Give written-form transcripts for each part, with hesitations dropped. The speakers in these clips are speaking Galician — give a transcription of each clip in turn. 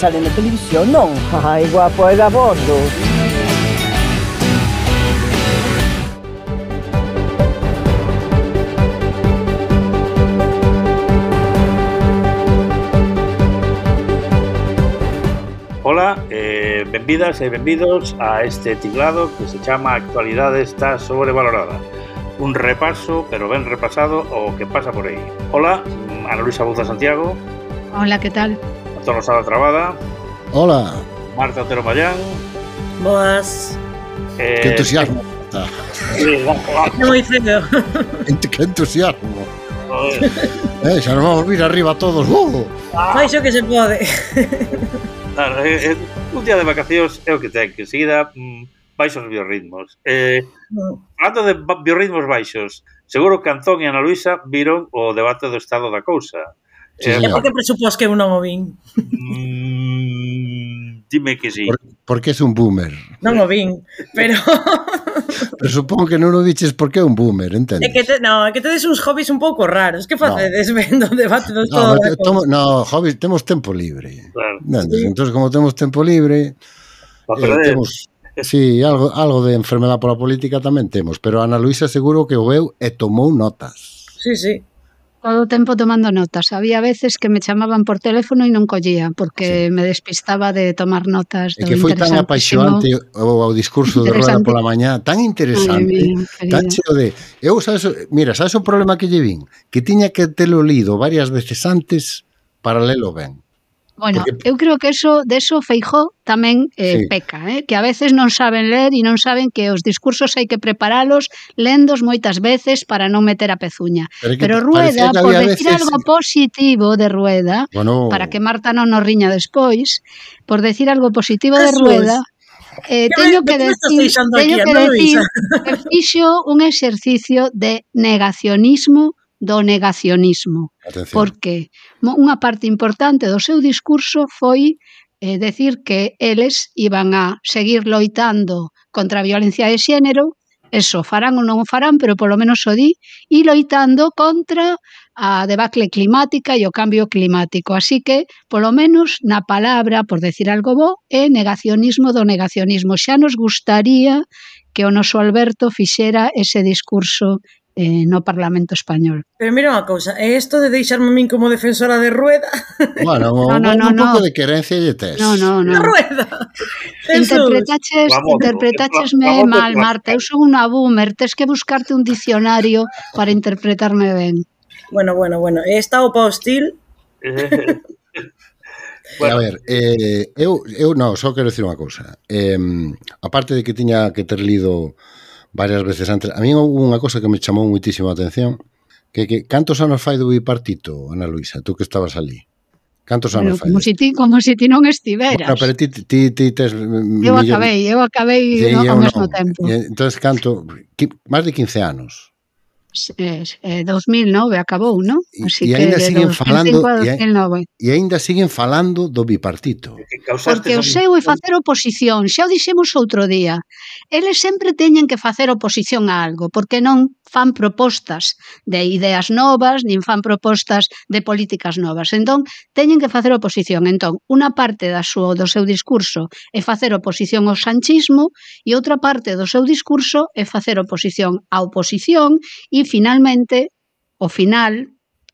sale na televisión, non? Ai, guapo, é gabondo. Ola, benvidas e benvidos a este tiglado que se chama Actualidade está sobrevalorada. Un repaso, pero ben repasado, o que pasa por aí. Ola, Ana Luisa Bouza Santiago. Hola, que tal? Antonio Sala Trabada. Hola. Marta Otero Mayán. Boas. Que entusiasmo. É moi feo. Que entusiasmo. Xa nos vamos vir arriba todos. Fais o que se pode. Claro, un día de vacacións é o que ten, que seguida baixos biorritmos. Falando de biorritmos baixos, seguro que Antón e Ana Luisa viron o debate do estado da cousa. Sí, E por que presupós que eu non o vin? Dime que sí. Porque é un boomer. Non o vin, pero... Presupongo que non o diches porque é un boomer, entendes? É que tedes uns hobbies un pouco raros. Que facedes vendo o debate do estado da cousa? No, hobbies, temos tempo libre. Claro. Sí. Entón, como temos tempo libre, temos... Sí, algo de enfermedad pola política tamén temos, pero Ana Luisa seguro que o veu e tomou notas. Sí, sí. Todo o tempo tomando notas. Había veces que me chamaban por teléfono e non collía, porque me despistaba de tomar notas do interesantísimo. E que foi tan apaixonante o discurso de Rueda pola mañá, tan interesante, tan cheo de... Sabes o problema que lle vin? Que tiña que telo lido varias veces antes para lelo ben. Bueno, eu creo que de eso Feijóo tamén peca, que a veces non saben ler e non saben que os discursos hai que preparalos lendos moitas veces para non meter a pezuña. Pero Rueda, por decir algo positivo de Rueda, para que Marta non nos riña despois, por decir algo positivo de Rueda, teño que decir que fixo un exercicio de negacionismo do negacionismo. Atención. Porque unha parte importante do seu discurso foi decir que eles iban a seguir loitando contra a violencia de xénero, eso farán ou non o farán, pero polo menos o di, e loitando contra a debacle climática e o cambio climático. Así que, polo menos, na palabra, por decir algo bo, é negacionismo do negacionismo. Xa nos gustaría que o noso Alberto fixera ese discurso no Parlamento Español. Pero mira unha cousa, é isto de deixarme a min como defensora de Rueda? Bueno, un pouco de querencia lle tes. No. De Rueda. Interpretachesme mal, Marta. Eu son unha boomer, tes que buscarte un dicionario para interpretarme ben. Bueno. E está o hostil? Bueno. A ver, eu non, só quero dicir unha cousa. Aparte de que tiña que ter lido varias veces antes, a mí houve unha cosa que me chamou muitísimo a atención, que cantos anos fai do bipartito, Ana Luisa, tú que estabas ali? Cantos anos fai? Como se ti non estiveras. Bueno, pero ti tes... Eu acabei ao mesmo tempo. Entón, máis de 15 anos. 2009 acabou, non? E ainda siguen falando do bipartito. Porque o seu é facer oposición, xa o dixemos outro día. Eles sempre teñen que facer oposición a algo, porque non fan propostas de ideas novas, nin fan propostas de políticas novas. Entón, teñen que facer oposición. Entón, unha parte do seu discurso é facer oposición ao sanchismo e outra parte do seu discurso é facer oposición á oposición e, finalmente,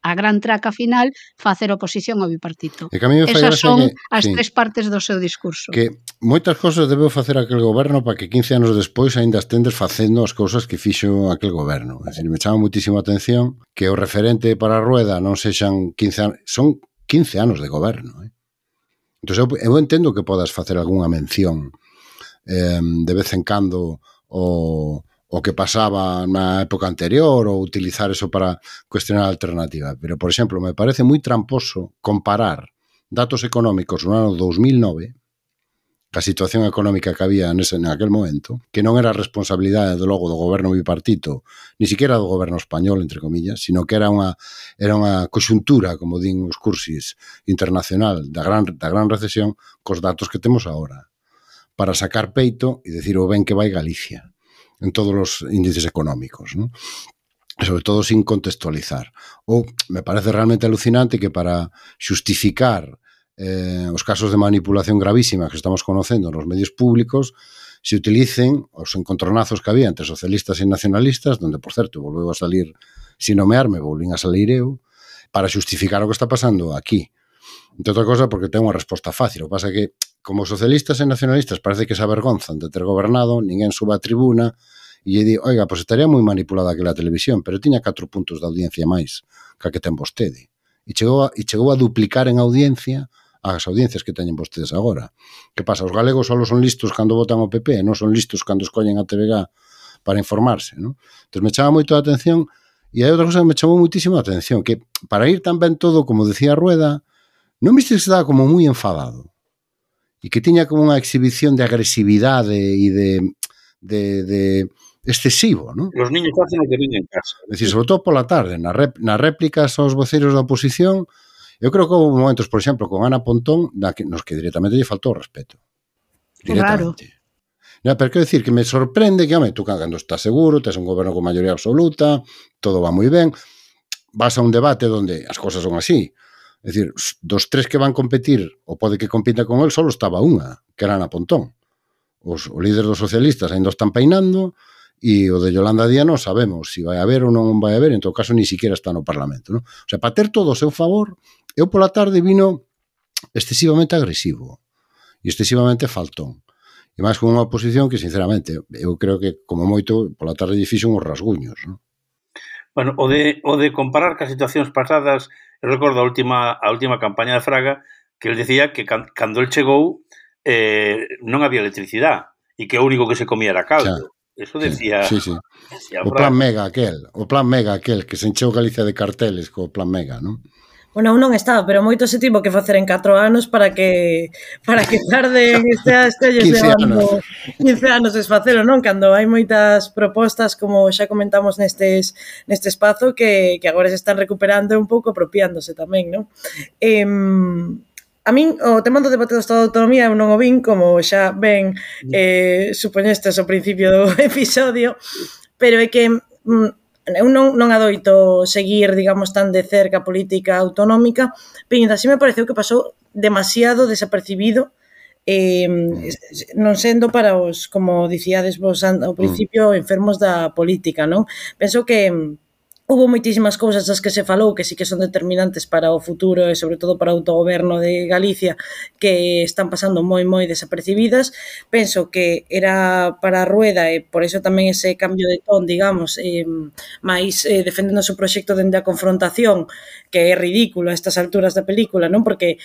a gran traca final, facer oposición ao bipartito. Esas son as tres partes do seu discurso. Que moitas cousas debeu facer aquel goberno para que 15 anos despois ainda estendes facendo as cousas que fixo aquel goberno. É dicir, me chama muitísimo a atención que o referente para a Rueda non sexan 15 anos, son 15 anos de goberno. Entón, eu entendo que podas facer algunha mención de vez en cando o que pasaba na época anterior ou utilizar eso para cuestionar a alternativa. Pero, por exemplo, me parece moi tramposo comparar datos económicos no ano 2009 a situación económica que había aquel momento, que non era responsabilidade logo do goberno bipartito, ni siquiera do goberno español, entre comillas, sino que era unha conxuntura, como din os cursis internacional, da gran recesión, cos datos que temos agora, para sacar peito e decir o ben que vai Galicia en todos os índices económicos, ¿no? Sobre todo sin contextualizar. Ou me parece realmente alucinante que para xustificar os casos de manipulación gravísima que estamos conocendo nos medios públicos se utilicen os encontronazos que había entre socialistas e nacionalistas, donde, por certo, volveu a salir, sin nomearme, volvín a salir eu, para xustificar o que está pasando aquí. Entre outra cosa, porque ten unha resposta fácil. O que pasa é que, como socialistas e nacionalistas parece que se avergonzan de ter gobernado, ninguén suba a tribuna e lle di, oiga, pois estaría moi manipulada aquela televisión, pero tiña 4 puntos de audiencia máis que a que ten vostede. E chegou a duplicar en audiencia as audiencias que teñen vostedes agora. Que pasa? Os galegos só son listos cando votan o PP, non son listos cando escollen a TVG para informarse, non? Entón me chama moito a atención, e hai outra cosa que me chamou muitísimo a atención, que para ir tan ben todo, como decía Rueda, non viste que estaba como moi enfadado e que tiña como unha exhibición de agresividade e de excesivo, non? Los niños hacen o que ven en casa. É dicir, sobre todo pola tarde, nas réplicas aos voceiros da oposición. Eu creo que houve momentos, por exemplo, con Ana Pontón, nos que directamente lle faltou o respeto. Directamente. Claro. Pero quero dicir que me sorprende que, home, tú cando estás seguro, tes un goberno con maioría absoluta, todo va moi ben, vas a un debate onde as cosas son así. É dicir, dos 3 que van competir, ou pode que compita con el, só estaba unha, que era Ana Pontón. O líder dos socialistas ainda están peinando, e o de Yolanda Díaz non sabemos se vai haber ou non vai haber, en todo caso, ni siquiera está no Parlamento, non? O sea, para ter todo o seu favor, eu pola tarde vino excesivamente agresivo e excesivamente faltón. E máis con unha oposición que, sinceramente, eu creo que, como moito, pola tarde lle fixo uns rasguños, non? Bueno, o de comparar cas situacións pasadas, eu recordo a última campaña de Fraga, que ele decía que cando el chegou non había electricidade e que o único que se comía era caldo. Eso decía... Sí. Decía o plan Mega aquel, que se encheu Galicia de carteles co plan Mega, non? Bueno, non estaba, pero moito se tivo que facer en 4 anos para que tarden este 15 anos. 15 anos desfacelo, non? Cando hai moitas propostas, como xa comentamos neste espazo, que agora se están recuperando un pouco, apropiándose tamén, non? A min, o tema do debate do Estado de Autonomía eu non o vin, como xa ben supoñestes ao principio do episodio, pero é que eu non adoito seguir, digamos, tan de cerca a política autonómica, pero así me pareceu que pasou demasiado desapercibido, non sendo para os, como dicíades vos ao principio, enfermos da política, non? Penso que houve moitísimas cousas das que se falou que sí que son determinantes para o futuro e sobre todo para o autogoberno de Galicia que están pasando moi desapercibidas. Penso que era para a Rueda e por eso tamén ese cambio de ton, digamos, máis defendendo o seu proxecto dende a confrontación, que é ridículo a estas alturas da película, non? Porque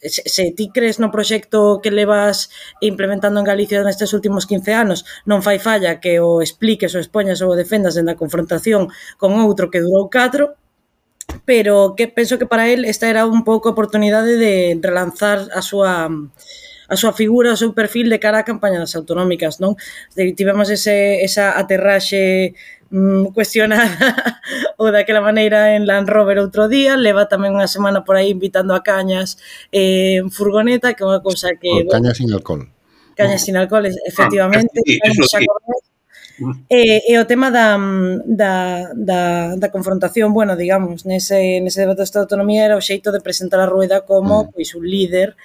se ti crees no proxecto que levas implementando en Galicia nestes últimos 15 anos, non fai falla que o expliques, o expoñas ou o defendas dende a confrontación con outro que durou 4, pero que penso que para él esta era un pouco a oportunidade de relanzar a súa figura, o seu perfil de cara á campaña das autonómicas, non? Tivemos esa aterraxe cuestionada ou daquela maneira en Land Rover outro día, leva tamén unha semana por aí invitando a cañas en furgoneta, que é unha cousa que... Cañas sin alcohol. Cañas sin alcohol, efectivamente. Eso sí. E o tema da confrontación, bueno, digamos, nese debate de autonomía era o xeito de presentar a Rueda como pois un líder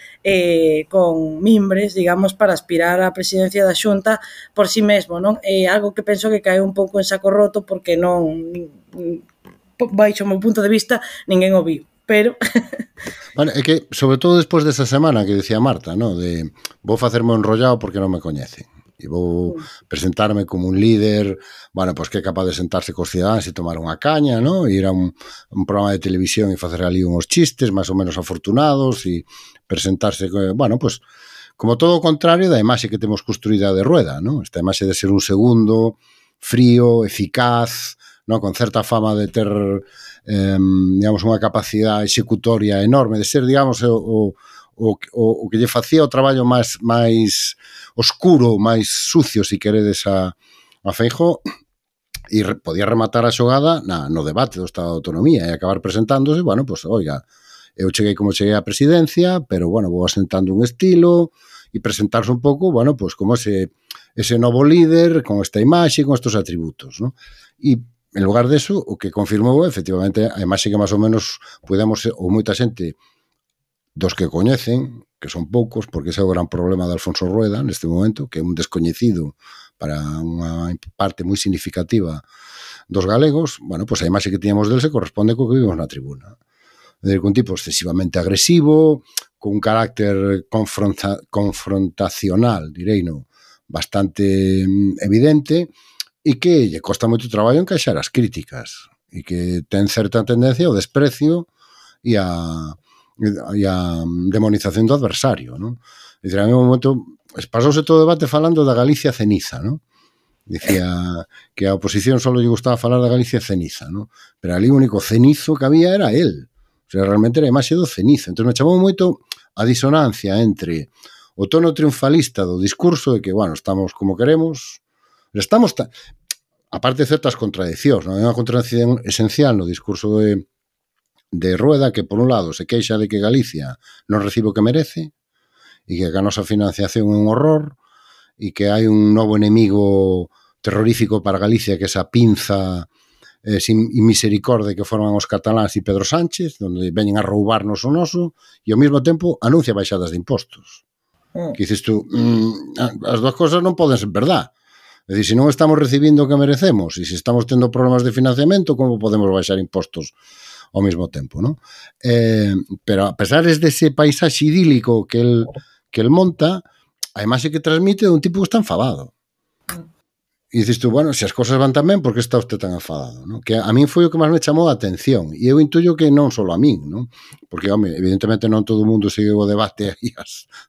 con mimbres, digamos, para aspirar á presidencia da Xunta por si mesmo, non? É algo que penso que cae un pouco en saco roto porque non, baixo o meu punto de vista, ninguén o viu. Pero... Bueno, é que, sobre todo despois desa semana que decía Marta, ¿no? De vou facerme enrollado porque non me coñecen. E vou presentarme como un líder, bueno, pois que é capaz de sentarse cos cidadáns e tomar unha caña, ¿no? E ir a un programa de televisión e facer ali uns chistes máis ou menos afortunados e presentarse, bueno, pois como todo o contrario da imaxe que temos construída de Rueda, ¿no? Esta imaxe de ser un segundo frío, eficaz, ¿no? Con certa fama de ter digamos, unha capacidade executoria enorme, de ser, digamos, o que lle facía o traballo máis oscuro, máis sucio, se queredes, a Feijóo, e podía rematar a xogada no debate do Estado de Autonomía e acabar presentándose, bueno, pois, oiga, eu cheguei como cheguei á presidencia, pero, bueno, vou asentando un estilo e presentarse un pouco, bueno, pois, como ese novo líder, con esta imaxe, con estos atributos, ¿no? E en lugar deso, o que confirmou, efectivamente, a imaxe que máis ou menos podemos, ou moita xente dos que coñecen, que son poucos, porque ese é o gran problema de Alfonso Rueda neste momento, que é un descoñecido para unha parte moi significativa dos galegos. Bueno, pois a imaxe que tiñamos del se corresponde co que vimos na tribuna. É dicir, un tipo excesivamente agresivo, con un carácter confrontacional, direi, no, bastante evidente, e que lle costa moito traballo encaixar as críticas, e que ten certa tendencia ao desprecio e a demonización do adversario, non? É dicir, a mí un momento pasouse todo o debate falando da Galicia ceniza, non? Dicía que a oposición só lle gustaba falar da Galicia ceniza, non? Pero ali o único cenizo que había era él. O sea, realmente era a imaxe do cenizo. Entón me chamou moito a disonancia entre o tono triunfalista do discurso de que, bueno, estamos como queremos, estamos aparte de certas contradiccións, non? Hai unha contradicción esencial no discurso de Rueda, que por un lado se queixa de que Galicia non recibe o que merece e que a nosa financiación é un horror e que hai un novo enemigo terrorífico para Galicia, que é esa pinza sin misericordia que forman os cataláns e Pedro Sánchez, onde veñen a roubarnos o noso, e ao mesmo tempo anuncia baixadas de impostos. Que dices tú, as dúas cosas non poden ser verdad. É dicir, se non estamos recibindo o que merecemos e se estamos tendo problemas de financiamento, como podemos baixar impostos ao mesmo tempo, non? Pero a pesar dese paisaxe idílico que el monta, a imaxe que transmite é un tipo que está enfadado. E dices tú, bueno, se as cosas van tan ben, por que está usted tan enfadado? ¿No? Que a min foi o que máis me chamou a atención. E eu intuyo que non só a min, ¿no? Porque, home, evidentemente non todo o mundo seguiu o debate aí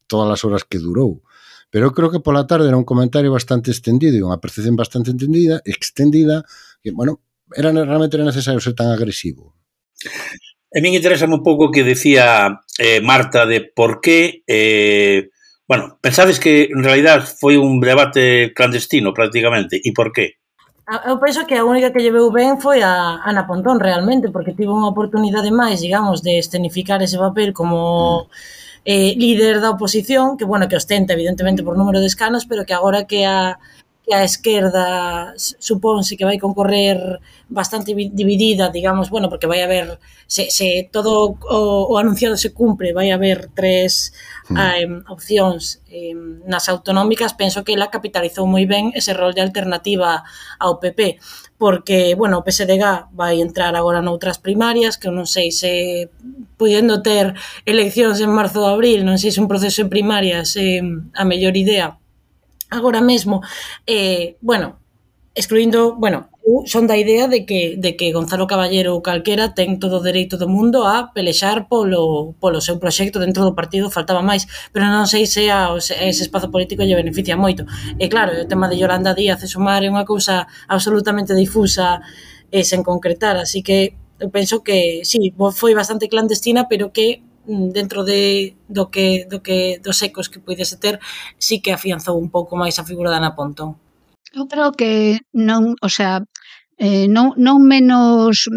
todas as horas que durou. Pero eu creo que pola tarde era un comentario bastante extendido e unha percepción bastante extendida, que, bueno, realmente era necesario ser tan agresivo. A min interesa un pouco o que decía Marta de por que... Bueno, pensades que en realidad foi un debate clandestino prácticamente, e por qué? Eu penso que a única que lle veu ben foi a Ana Pontón realmente, porque tivo unha oportunidade máis, digamos, de escenificar ese papel como líder da oposición, que, bueno, que ostenta evidentemente por número de escanos, pero que agora que a esquerda supónse que vai concorrer bastante dividida, digamos, bueno, porque vai haber, se todo o anunciado se cumpre, vai haber 3 opcións nas autonómicas. Penso que ela capitalizou moi ben ese rol de alternativa ao PP, porque, bueno, o PSDG vai entrar agora noutras primarias, que non sei se podendo ter eleccións en marzo ou abril, non sei se un proceso en primarias a mellor idea agora mesmo, bueno, excluindo, bueno, son da idea de que Gonzalo Caballero ou calquera ten todo o dereito do mundo a pelexar polo seu proxecto dentro do partido, faltaba máis, pero non sei se ese espazo político lle beneficia moito. E claro, o tema de Yolanda Díaz e Sumar é unha cousa absolutamente difusa e sen concretar, así que eu penso que sí, foi bastante clandestina, pero que dentro dos ecos que puidese ter, sí que afianzou un pouco máis a figura da Ana Pontón. Eu creo que non, o sea, non menos,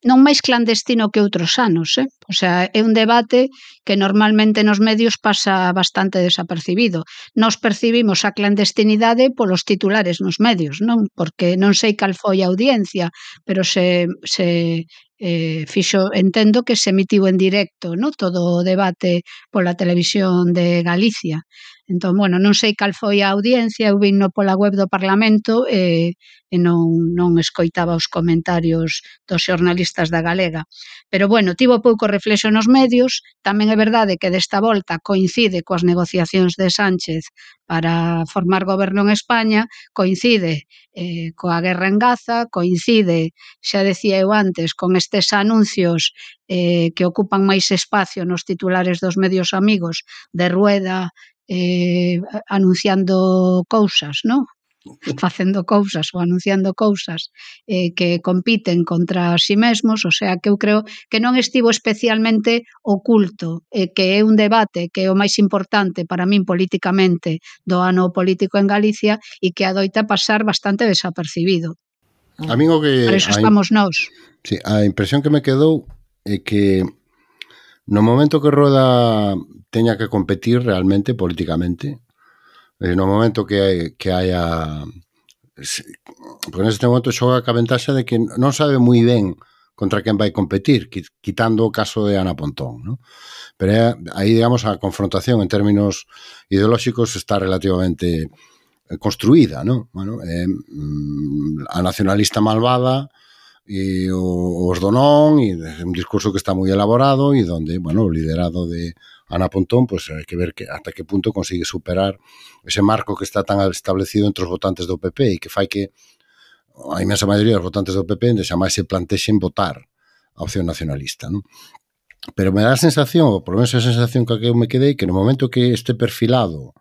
non máis clandestino que outros anos, O sea, é un debate que normalmente nos medios pasa bastante desapercibido. Nos percibimos a clandestinidade polos titulares nos medios, non? Porque non sei cal foi a audiencia, pero se fixo, entendo que se emitiu en directo, non? Todo o debate pola televisión de Galicia. Entón, bueno, non sei cal foi a audiencia, eu vino pola web do Parlamento e non escoitaba os comentarios dos xornalistas da Galega. Pero, bueno, tivo pouco reflexo nos medios, tamén é verdade que desta volta coincide coas negociacións de Sánchez para formar goberno en España, coincide coa guerra en Gaza, coincide, xa decía eu antes, con estes anuncios que ocupan máis espacio nos titulares dos medios amigos de Rueda, anunciando cousas, non? Facendo cousas ou anunciando cousas que compiten contra si mesmos, o sea que eu creo que non estivo especialmente oculto, que é un debate que é o máis importante para min políticamente do ano político en Galicia e que adoita pasar bastante desapercibido. A min o que... Por eso estamos nós. Sí, a impresión que me quedou é que no momento que Rueda teña que competir realmente políticamente, no momento que haya... Porque neste momento xoga ca ventaxa de que non sabe moi ben contra quen vai competir, quitando o caso de Ana Pontón, ¿no? Pero aí, digamos, a confrontación en términos ideolóxicos está relativamente construída, ¿no? Bueno, a nacionalista malvada e os do non, e un discurso que está moi elaborado e donde, bueno, o liderado de Ana Pontón, pues hai que ver hasta que punto consigue superar ese marco que está tan establecido entre os votantes do PP e que fai que a inmensa maioría dos votantes do PP de xamais se plantexen votar a opción nacionalista, non? Pero me dá a sensación, ou por menos a sensación que eu me quedei, que no momento que este perfilado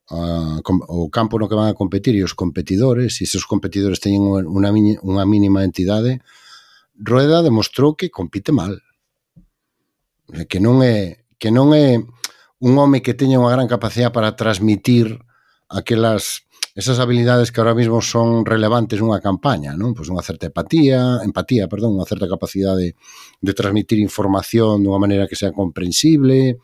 o campo no que van a competir e os competidores, e esos competidores teñen unha mínima entidade, Rueda demostrou que compite mal. Que non é un home que teña unha gran capacidade para transmitir esas habilidades que ahora mismo son relevantes nunha campaña, non? Pois unha certa empatía, unha certa capacidade de transmitir información dunha maneira que sea comprensible,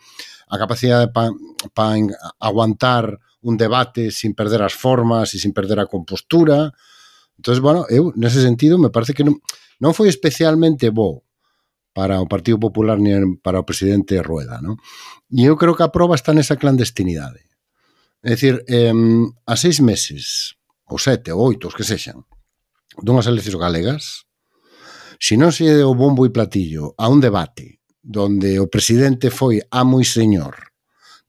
a capacidade para aguantar un debate sin perder as formas e sin perder a compostura. Entón, bueno, eu, nese sentido, me parece que non foi especialmente bo para o Partido Popular ni para o presidente Rueda, non? E eu creo que a proba está nesa clandestinidade. É dicir, a 6 meses, ou 7, ou 8, os que sexan, dunhas eleccións galegas, se non se deu bombo e platillo a un debate donde o presidente foi amo e señor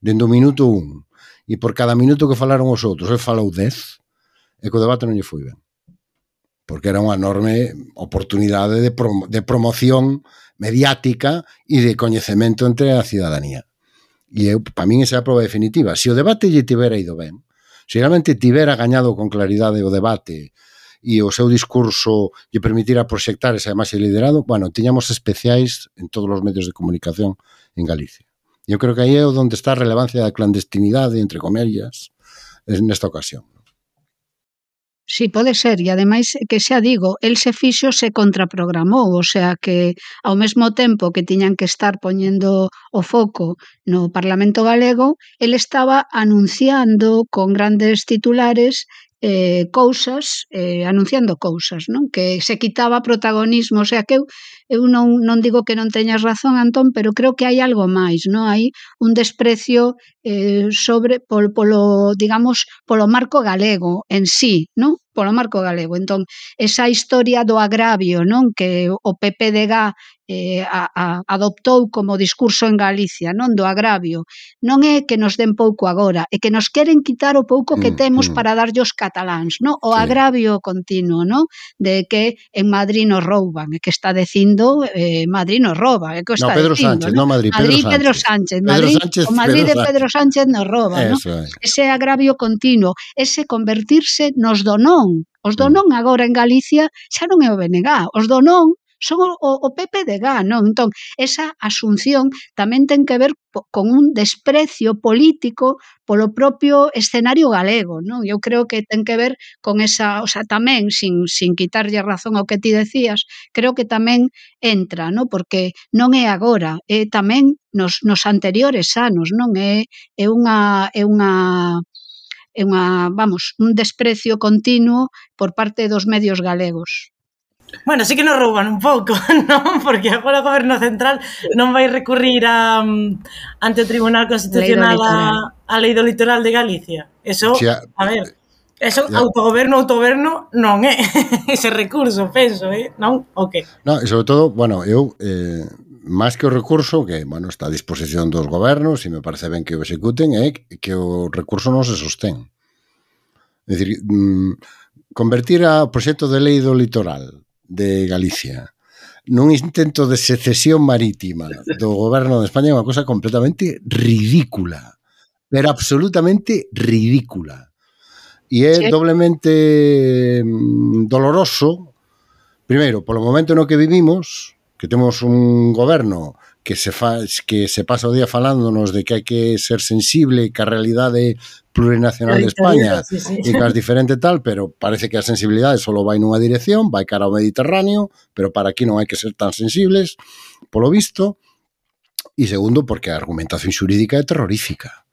dende o minuto 1 e por cada minuto que falaron os outros ele falou 10, e que o debate non lle foi ben, porque era unha enorme oportunidade de promoción mediática e de coñecemento entre a cidadanía. E eu, para min, esa é a prova definitiva. Se o debate lle tivera ido ben, se realmente tivera gañado con claridade o debate e o seu discurso lle permitira proxectar esa imaxe liderado, bueno, tiñamos especiais en todos os medios de comunicación en Galicia. E eu creo que aí é onde está a relevancia da clandestinidade, entre comillas, nesta ocasión. Sí, pode ser, e ademais que xa digo, el se fixo, se contraprogramou, o sea que ao mesmo tempo que tiñan que estar poñendo o foco no Parlamento galego, el estaba anunciando con grandes titulares anunciando cousas, non? Que se quitaba protagonismo, o sea que eu non digo que non teñas razón, Antón, pero creo que hai algo máis, non? Hai un desprecio polo marco galego en sí, non? Polo marco galego. Entón, esa historia do agravio, non? Que o PPDG adoptou como discurso en Galicia, non? Do agravio. Non é que nos den pouco agora, é que nos queren quitar o pouco que temos para darlle os cataláns, non? O agravio continuo, non? De que en Madrid nos rouban, e que está dicindo Madrid nos rouba, é que está Pedro dicindo, Sánchez, non Madrid, Pedro Sánchez. O Madrid de Pedro Sánchez nos rouba, non? Ese agravio continuo, ese convertirse nos do non. Os do non agora en Galicia xa non é o BNG, os do non son o PPDG, non? Entón, esa asunción tamén ten que ver con un desprecio político polo propio escenario galego, non? Eu creo que ten que ver con esa, o sea, tamén, sin quitarlle razón ao que ti decías, creo que tamén entra, non? Porque non é agora, é tamén nos anteriores anos, non? É un desprecio continuo por parte dos medios galegos. Bueno, sí que nos rouban un pouco, non? Porque agora o Goberno Central non vai recurrir ante o Tribunal Constitucional a Lei do Litoral de Galicia. Eso, a ver, eso autogoberno non é ese recurso, penso, non? O que? Non, e sobre todo, bueno, eu máis que o recurso, que, bueno, está a disposición dos gobernos e me parece ben que o executen, é que o recurso non se sostén. É dicir, convertir o proxecto de lei do litoral de Galicia nun intento de secesión marítima do goberno de España é unha cosa completamente ridícula, pero absolutamente ridícula. E é doblemente doloroso, primeiro, polo momento no que vivimos, que temos un goberno que se pasa o día falándonos de que hai que ser sensible que a realidade plurinacional de España e que é diferente tal, pero parece que a sensibilidade só vai nunha dirección, vai cara ao Mediterráneo, pero para aquí non hai que ser tan sensibles, polo visto. E segundo, porque a argumentación xurídica é terrorífica,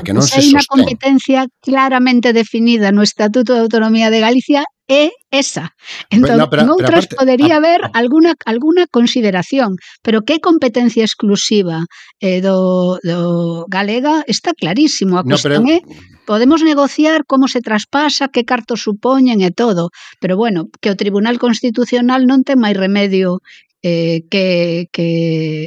que non se sostén. Hai unha competencia claramente definida no Estatuto de Autonomía de Galicia é esa. Entón, en outras podería haber alguna consideración, pero que competencia exclusiva do galega está clarísimo. A cuestión é, podemos negociar como se traspasa, que cartos supoñen e todo, pero bueno, que o Tribunal Constitucional non ten máis remedio que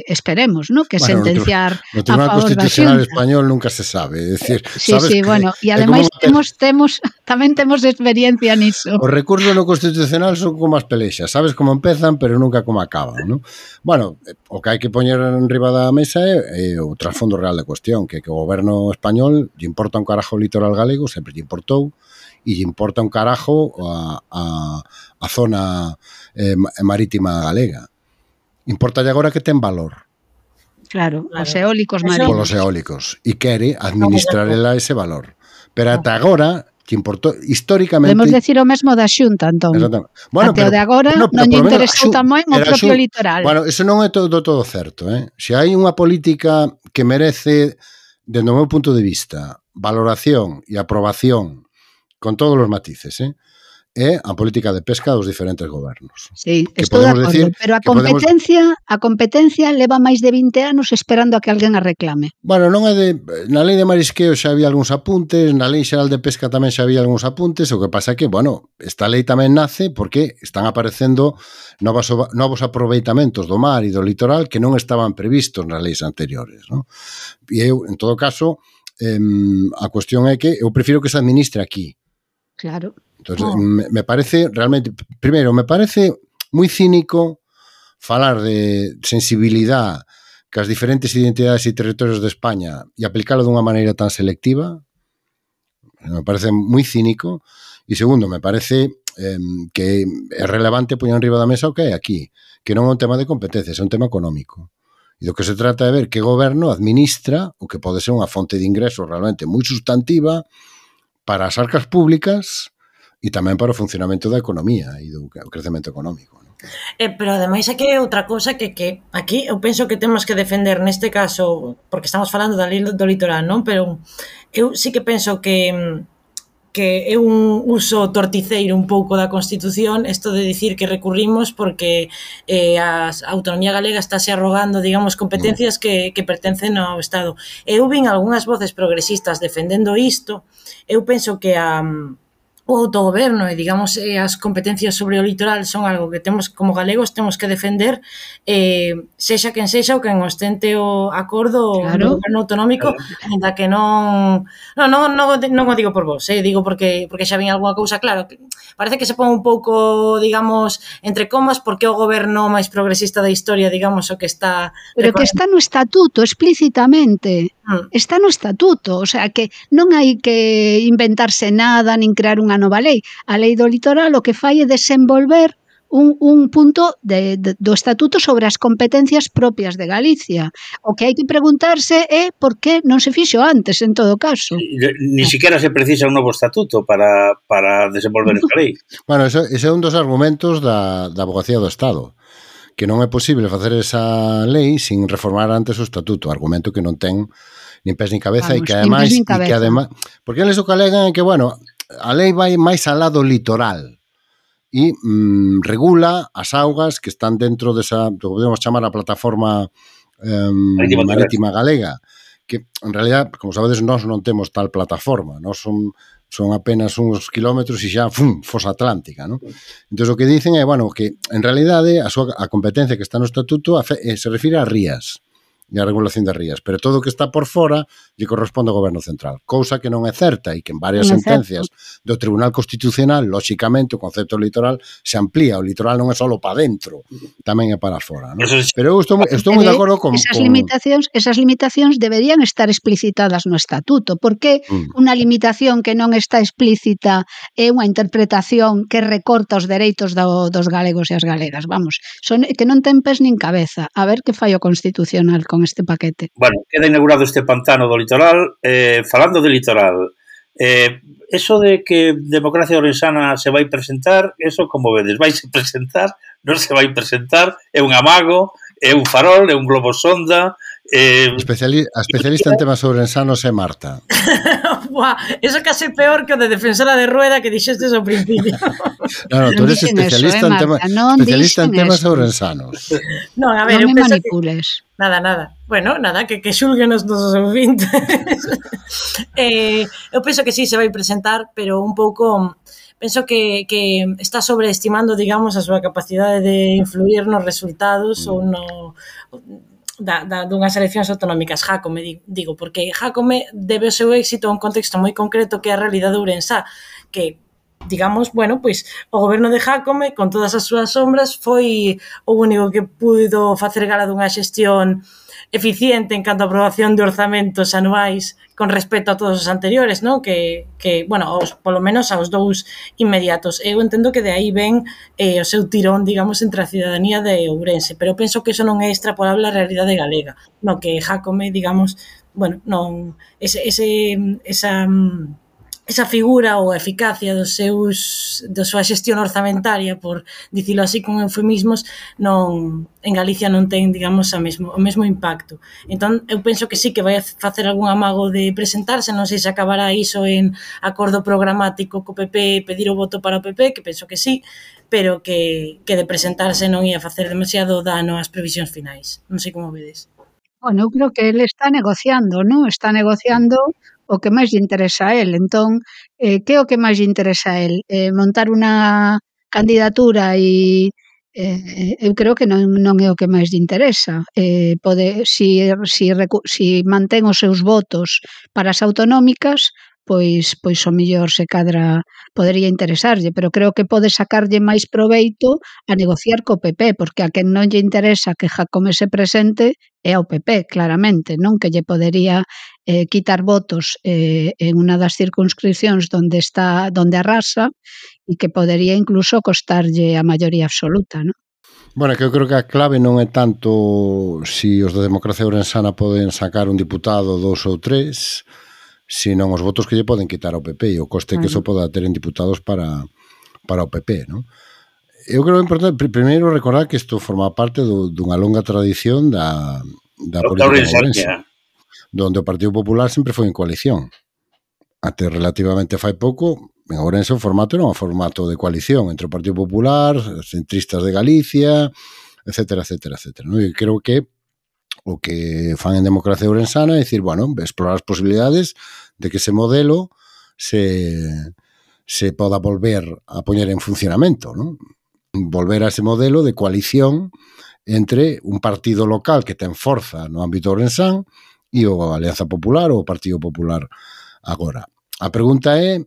esperemos, ¿no? Que sentenciar no Tribunal Constitucional español nunca se sabe, é dicir, sí, bueno, e ademais tamén temos experiencia niso. Os recursos no Constitucional son como as pelexas, sabes como empezan, pero nunca como acaban, ¿no? Bueno, o que hai que poñer en riba da mesa é o trasfondo real da cuestión, que o goberno español lle importa un carajo o litoral galego, sempre lle importou, e lle importa un carajo a zona marítima galega. Importa agora que ten valor. Claro, os eólicos marinos. Polos eólicos. E quere administrar ela ese valor. Pero ata agora, que importou históricamente... Podemos decir o mesmo da Xunta, entón. Bueno, até o de agora non lle interesou tamén o propio litoral. Bueno, eso non é todo certo. Se hai unha política que merece, dende o meu punto de vista, valoración e aprobación con todos os matices, é a política de pesca dos diferentes gobernos. Sí, estou de acordo, pero a competencia leva máis de 20 anos esperando a que alguén a reclame. Bueno, non é na lei de marisqueo xa había algúns apuntes, na lei xeral de pesca tamén xa había algúns apuntes, o que pasa é que, bueno, esta lei tamén nace porque están aparecendo novos aproveitamentos do mar e do litoral que non estaban previstos nas leis anteriores, non? E eu, en todo caso, a cuestión é que eu prefiro que se administre aquí. Claro. Entonces, me parece realmente, primeiro, me parece moi cínico falar de sensibilidad que as diferentes identidades e territorios de España e aplicalo dunha maneira tan selectiva. Me parece moi cínico. E segundo, me parece que é relevante poñer en riba da mesa o que hai aquí, que non é un tema de competencias, é un tema económico. E do que se trata é ver que goberno administra o que pode ser unha fonte de ingresos realmente moi sustantiva para as arcas públicas e tamén para o funcionamento da economía e do crecemento económico, ¿no? Pero ademais é que outra cousa que aquí eu penso que temos que defender neste caso, porque estamos falando da lei do litoral, non? Pero eu sí que penso que é un uso torticeiro un pouco da Constitución isto de dicir que recurrimos porque a autonomía galega estáse arrogando, digamos, competencias que pertencen ao Estado. Eu vin algunhas voces progresistas defendendo isto. Eu penso que o autogoberno e, digamos, as competencias sobre o litoral son algo que temos, como galegos, temos que defender, sexa quen sexa ou quen ostente o acordo do goberno autonómico, ainda que non o digo por vos, digo porque xa vin algunha cousa, claro, parece que se pon un pouco, digamos, entre comas, porque o goberno máis progresista da historia, digamos, o que está... Pero que está no estatuto, explícitamente. Está no estatuto, o sea, que non hai que inventarse nada, nin crear unha nova lei. A lei do litoral o que fai é desenvolver un punto do estatuto sobre as competencias propias de Galicia. O que hai que preguntarse é por que non se fixo antes, en todo caso. Ni siquiera se precisa un novo estatuto para desenvolver esta lei. Bueno, ese é un dos argumentos da Avogacía do Estado, que non é posible facer esa lei sin reformar antes o estatuto, argumento que non ten nin pés nin cabeza. Vamos, e que ademais porque eles o que alegan é que, bueno, a lei vai máis alá do litoral e regula as augas que están dentro desa, que podemos chamar a plataforma marítima galega, que en realidad, como sabedes, nós non temos tal plataforma, nós son apenas uns kilómetros e xa, fosa atlántica, non? Entón, o que dicen é, bueno, que en realidade a competencia que está no estatuto se refire a rías e a regulación das rías, pero todo o que está por fora lle corresponde ao goberno central, cousa que non é certa e que en varias sentencias do Tribunal Constitucional, lóxicamente, o concepto litoral se amplía, o litoral non é só para dentro, tamén é para fora, ¿no? Pero eu estou moi de acordo con... Esas limitacións deberían estar explicitadas no estatuto, porque unha limitación que non está explícita é unha interpretación que recorta os dereitos dos galegos e as galegas, vamos, que non ten pés nin cabeza. A ver que fai o Constitucional con este paquete. Bueno, queda inaugurado este pantano do litoral. Falando de litoral, eso de que Democracia Orensana se vai presentar, eso como vedes, vai se presentar, non se vai presentar, é un amago, é un farol, é un globo sonda. A especialista en temas ourensanos é Marta. Buah, eso case peor que o de defensora de Rueda que dixestes ao principio. No, tú Non eres dixen eso, Marta, non especialista en dixen temas eso. ourensanos. Non, a ver, Non eu me penso que... manipules. Nada. Bueno, nada, que xulguen os nosos ouvintes. Eu penso que sí se vai presentar, pero un pouco... Penso que está sobreestimando, digamos, a súa capacidade de influir nos resultados ou no... dunhas eleccións autonómicas, Jácome, digo, porque Jácome debe o seu éxito a un contexto moi concreto que é a realidade ourensá, que digamos, bueno, pois o goberno de Jácome, con todas as súas sombras, foi o único que puido facer gala dunha xestión eficiente en canto a aprobación de orzamentos anuais con respecto a todos os anteriores, non? Que bueno, polo menos aos dous inmediatos. Eu entendo que de aí ven o seu tirón, digamos, entre a cidadanía de Ourense, pero penso que eso non é extrapolable á realidade galega, no que Jácome, digamos, bueno, non esa figura ou eficacia da súa xestión orzamentaria, por dicilo así con eufemismos, non, en Galicia non ten, digamos, o mesmo impacto. Entón, eu penso que sí que vai facer algún amago de presentarse, non sei se acabará iso en acordo programático co PP, pedir o voto para o PP, que penso que sí, pero que de presentarse non ia facer demasiado dano ás previsións finais. Non sei como vedes. Bueno, eu creo que ele está negociando, non? Está negociando o que máis lle interesa a él. Entón, que é o que máis lle interesa a él? Montar unha candidatura e eu creo que non é o que máis lle interesa. Si mantén os seus votos para as autonómicas, pois o mellor se cadra podería interesarlle, pero creo que pode sacarlle máis proveito a negociar co PP, porque a quen non lle interesa que Jácome se presente é ao PP, claramente, non? Que lle podería quitar votos en unha das circunscripcións onde arrasa e que podería incluso costarlle a maioría absoluta, non? Bueno, que eu creo que a clave non é tanto si os de Democracia Ourensana poden sacar un diputado, 2 ou 3, sino os votos que lle poden quitar ao PP e o coste que iso poda ter en diputados para o PP, non? Eu creo que é importante primeiro recordar que isto forma parte dunha longa tradición da política ourense, donde o Partido Popular sempre foi en coalición. Até relativamente fai pouco, en Ourense o formato era un formato de coalición entre o Partido Popular, os centristas de Galicia, etcétera. Non? E creo que o que fan en Democracia Ourensana é dicir, bueno, explorar as posibilidades de que ese modelo se poda volver a poñer en funcionamento, non? Volver a ese modelo de coalición entre un partido local que ten forza no ámbito ourensán e a Alianza Popular ou o Partido Popular agora. A pregunta é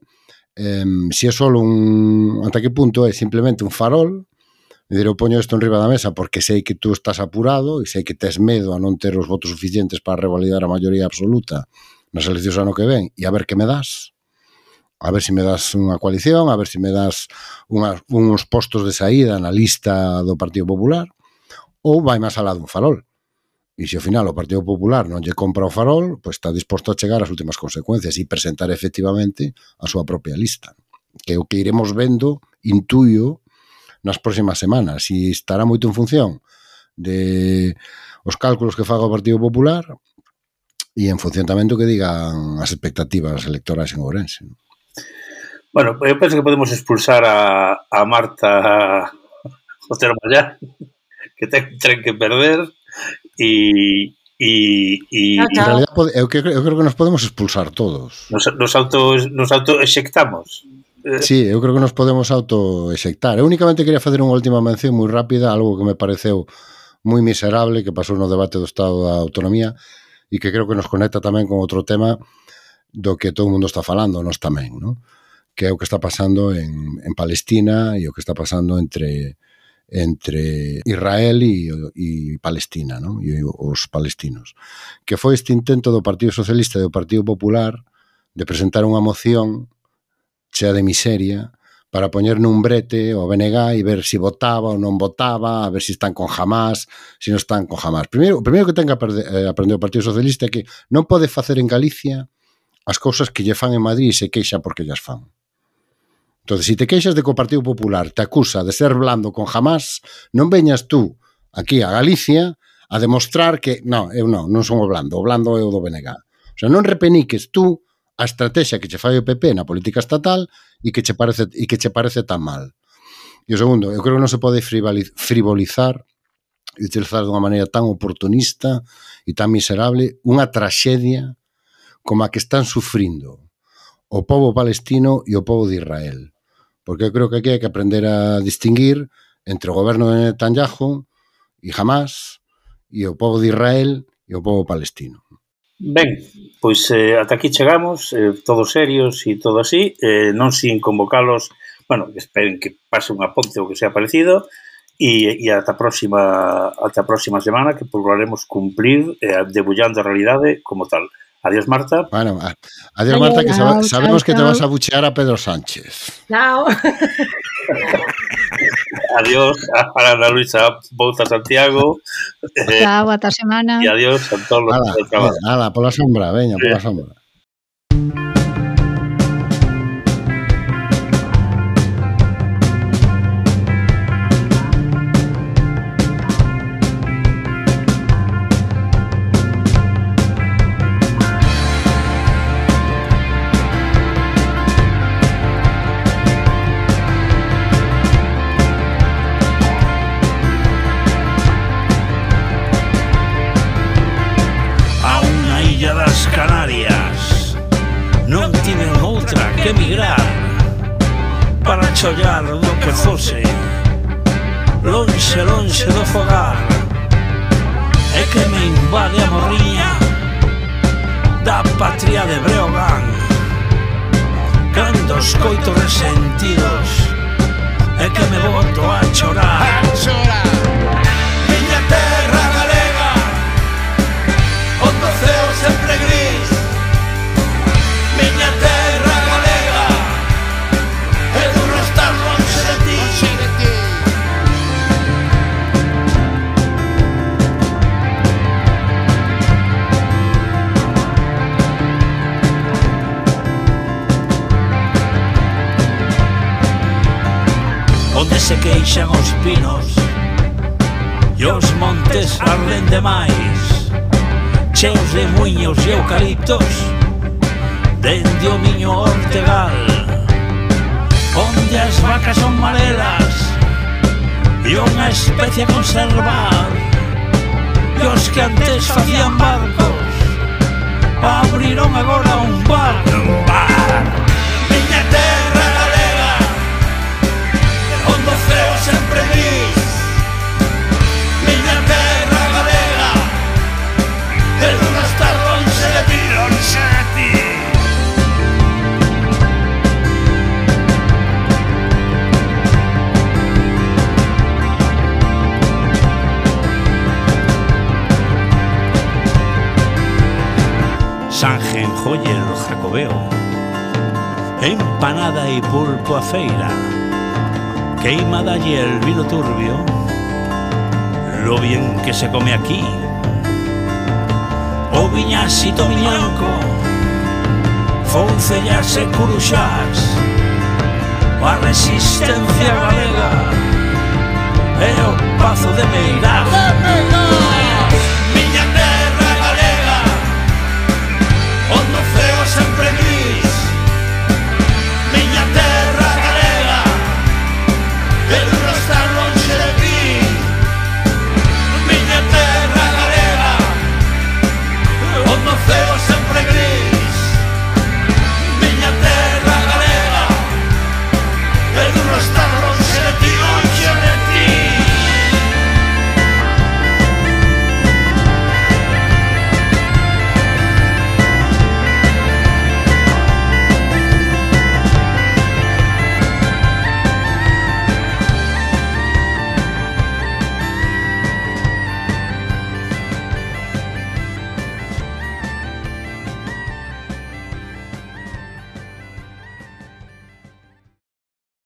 se é só ata que punto é simplemente un farol. Eu poño isto en riba da mesa porque sei que tú estás apurado e sei que tes medo a non ter os votos suficientes para revalidar a maioría absoluta nas eleccións ano que ven, e a ver que me das. A ver se me das unha coalición, a ver se me das uns postos de saída na lista do Partido Popular, ou vai máis alá dun farol. E se ao final o Partido Popular non lle compra o farol, pois está disposto a chegar ás últimas consecuencias e presentar efectivamente a súa propia lista. Que é o que iremos vendo, intuyo, nas próximas semanas, e estará moito en función de os cálculos que faga o Partido Popular e en función tamén do que digan as expectativas electorais en Ourense. Bueno, eu penso que podemos expulsar a Marta Otero Mallá, que ten un tren que perder, e en realidad eu creo que nos podemos expulsar todos. Nos autoexectamos. Sí, eu creo que nos podemos autoexectar. Eu únicamente quería facer unha última mención moi rápida, algo que me pareceu moi miserable que pasou no debate do Estado da Autonomía e que creo que nos conecta tamén con outro tema do que todo o mundo está falando, nós tamén, non? Que é o que está pasando en Palestina e o que está pasando entre Israel e Palestina, non? E os palestinos. Que foi este intento do Partido Socialista e do Partido Popular de presentar unha moción chea de miseria para poñer nun brete o BNG e ver se votaba ou non votaba, a ver se están con Hamás, se non están con Hamás. O primeiro que ten que aprender o Partido Socialista é que non pode facer en Galicia as cousas que lle fan en Madrid e se queixa porque llas fan. Entón, se te queixas de que o Partido Popular te acusa de ser blando con Hamás, non veñas tú aquí a Galicia a demostrar que eu non son o blando é o do BNG. O sea, non repeniques tú a estrategia que che fai o PP na política estatal e que che parece tan mal. E o segundo, eu creo que non se pode frivolizar e utilizar dunha maneira tan oportunista e tan miserable unha traxedia como a que están sufrindo o povo palestino e o povo de Israel. Porque eu creo que aquí hai que aprender a distinguir entre o goberno de Netanyahu e Hamas e o povo de Israel e o povo palestino. Ben, pois ata aquí chegamos, todos serios e todo así, non sin convocalos, bueno, esperen que pase unha ponte ou que sea parecido, e ata a próxima semana que procuraremos cumplir debullando a realidade como tal. Adiós, Marta. Bueno, adiós, Marta, que sabemos que te vas a buchear a Pedro Sánchez. Chao. Adiós a Ana Luisa Bouza Santiago. Chao, ata semana. E adiós a todos os que trabajan. Ala, pola sombra, veña, pola sombra. Que emigrar para chollar do que fose lonxe, lonxe do fogar. É que me invade a morriña da patria de Breogán. Cando escoito resentidos é que me boto a chorar. Miña terra galega, onde o ceo sempre gris. Miña terra onde se queixan os pinos e os montes arden demais, cheos de muiños e eucaliptos dende o miño Ortegal, onde as vacas son marelas e unha especie a conservar, e os que antes facían barcos abriron agora un bar. Miña terra galega, onde o ceo sempre gris. Miña terra galega, e non estar lonxe de ti, lonxe de ti. Sanjenjoyer Jacobeo, empanada y pulpo a feira, queimada y el vino turbio, lo bien que se come aquí. O viñasito miñanco, foncellas e curuxás, a resistencia galega e o pazo de Meirás.